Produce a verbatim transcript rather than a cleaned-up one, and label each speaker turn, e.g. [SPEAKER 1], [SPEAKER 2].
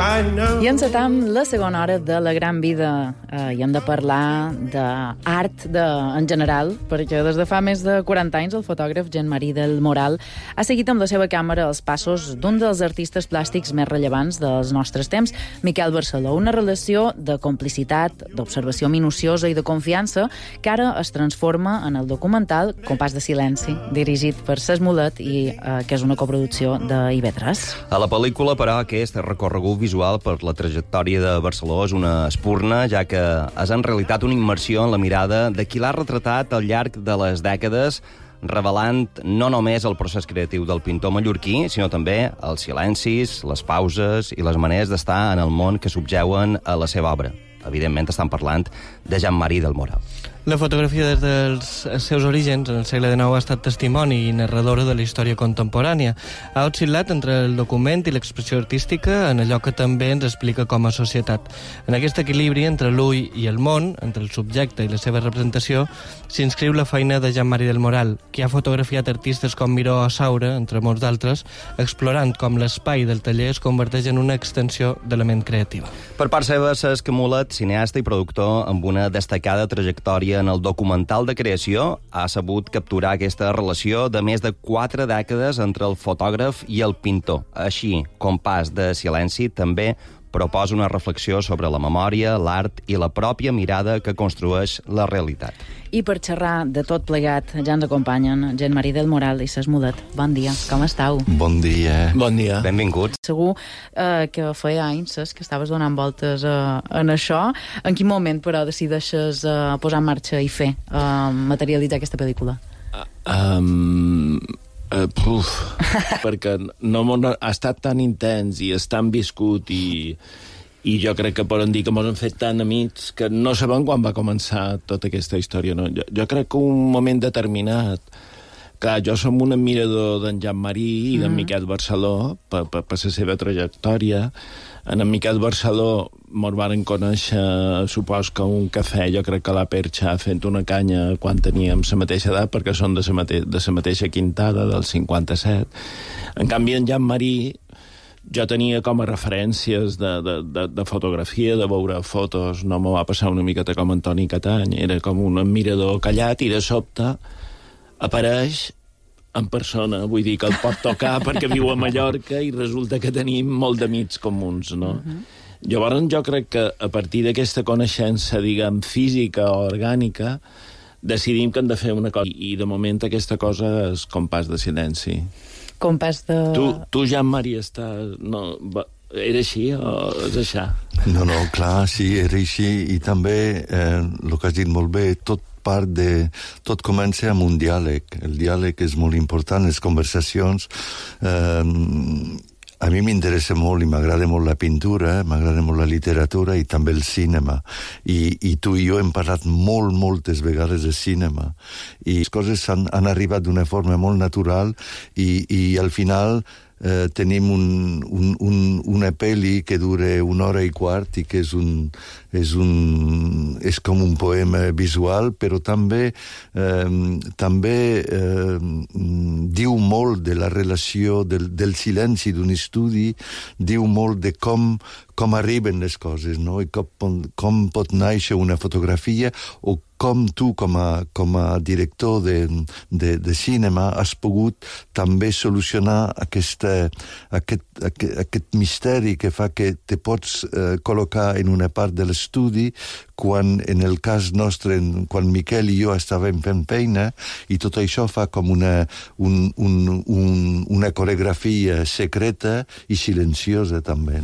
[SPEAKER 1] I encetam la segona hora de la gran vida eh, i hem de parlar d'art de, en general, perquè des de fa més de quaranta anys el fotògraf Jean-Marie del Moral ha seguit amb la seva càmera els passos d'un dels artistes plàstics més rellevants dels nostres temps, Miquel Barceló. Una relació de complicitat, d'observació minuciosa i de confiança que ara es transforma en el documental Compàs de silenci, dirigit per Ses Mulet i eh, que és una coproducció d'I V tres.
[SPEAKER 2] A la pel·lícula, però, aquest recorregut visual per la trajectòria de Barceló és una espurna, ja que és en realitat una immersió en la mirada de qui l'ha retratat al llarg de les dècades, revelant no només el procés creatiu del pintor mallorquí, sinó també els silencis, les pauses i les maneres d'estar en el món que subjeuen a la seva obra. Evidentment estan parlant de Jean-Marie del Moral.
[SPEAKER 3] La fotografia des dels seus orígens, en el segle dinou, ha estat testimoni i narradora de la història contemporània. Ha oscil·lat entre el document i l'expressió artística en allò que també ens explica com a societat. En aquest equilibri entre l'ull i el món, entre el subjecte i la seva representació, s'inscriu la feina de Jean-Marie del Moral, que ha fotografiat artistes com Miró o Saura, entre molts d'altres, explorant com l'espai del taller es converteix en una extensió de la ment creativa.
[SPEAKER 2] Per part seva, Cesc Mulet, cineasta i productor amb una destacada trajectòria en el documental de creació, ha sabut capturar aquesta relació de més de quatre dècades entre el fotògraf i el pintor. Així, Compàs de silenci també proposa una reflexió sobre la memòria, l'art i la pròpia mirada que construeix la realitat.
[SPEAKER 1] I per xerrar de tot plegat ja ens acompanyen Jean-Marie del Moral i Ses Mulet. Bon dia, com estàu?
[SPEAKER 4] Bon dia.
[SPEAKER 3] Bon dia.
[SPEAKER 2] Benvinguts.
[SPEAKER 1] Segur eh, que feia anys, Ses, que estaves donant voltes eh, en això. En quin moment, però, decideixes eh, posar en marxa i fer, eh, materialitzar aquesta pel·lícula?
[SPEAKER 4] Um, uh, puf, perquè no ha estat tan intens i és tan viscut i... I jo crec que poden dir que ens hem fet tan amics que no sabem quan va començar tota aquesta història. No? Jo, jo crec que un moment determinat... Clar, jo som un admirador d'en Jean-Marie i d'en mm. Miquel Barceló per, per, per la seva trajectòria. En en Miquel Barceló mos varen conèixer, supos que un cafè, jo crec que a la Perxa, fent una canya quan teníem la mateixa edat, perquè són de la mate de la mateixa quintada, del cinquanta-set. En canvi, en Jean-Marie... Jo tenia com a referències de, de, de, de fotografia, de veure fotos, no m'ho va passar una miqueta com Antoni Catany, era com un admirador callat i de sobte apareix en persona, vull dir que el pot tocar perquè viu a Mallorca i resulta que tenim molt d'amics comuns, no? Uh-huh. Llavors jo crec que a partir d'aquesta coneixença, diguem, física o orgànica, decidim que hem de fer una cosa i de moment aquesta cosa és Compàs de silenci.
[SPEAKER 1] Compàs de...
[SPEAKER 4] Tu, tu Jean-Marie, estàs... No, va, era així o és això?
[SPEAKER 5] No, no, clar, sí, era així. I també, eh, el que has dit molt bé, tot part de... Tot comença amb un diàleg. El diàleg és molt important, les conversacions... Eh, a mi m'interessa molt i m'agrada molt la pintura, eh? M'agrada molt la literatura i també el cinema. I, i tu i jo hem parlat molt, moltes vegades de cinema. I les coses han, han arribat d'una forma molt natural i, i al final eh, tenim un, un, un, una pel·li que dura una hora i quart i que és un... És, un, és com un poema visual, però també, eh, també eh, diu molt de la relació del, del silenci d'un estudi, diu molt de com, com arriben les coses, no? I com, com pot néixer una fotografia o com tu, com a, com a director de, de, de cinema, has pogut també solucionar aquesta, aquest, aquest, aquest misteri que fa que te pots eh, col·locar en una part de l'estudi quan, en el cas nostre, quan Miquel i jo estàvem fent feina, i tot això fa com una, un, un, un, una coreografia secreta i silenciosa també.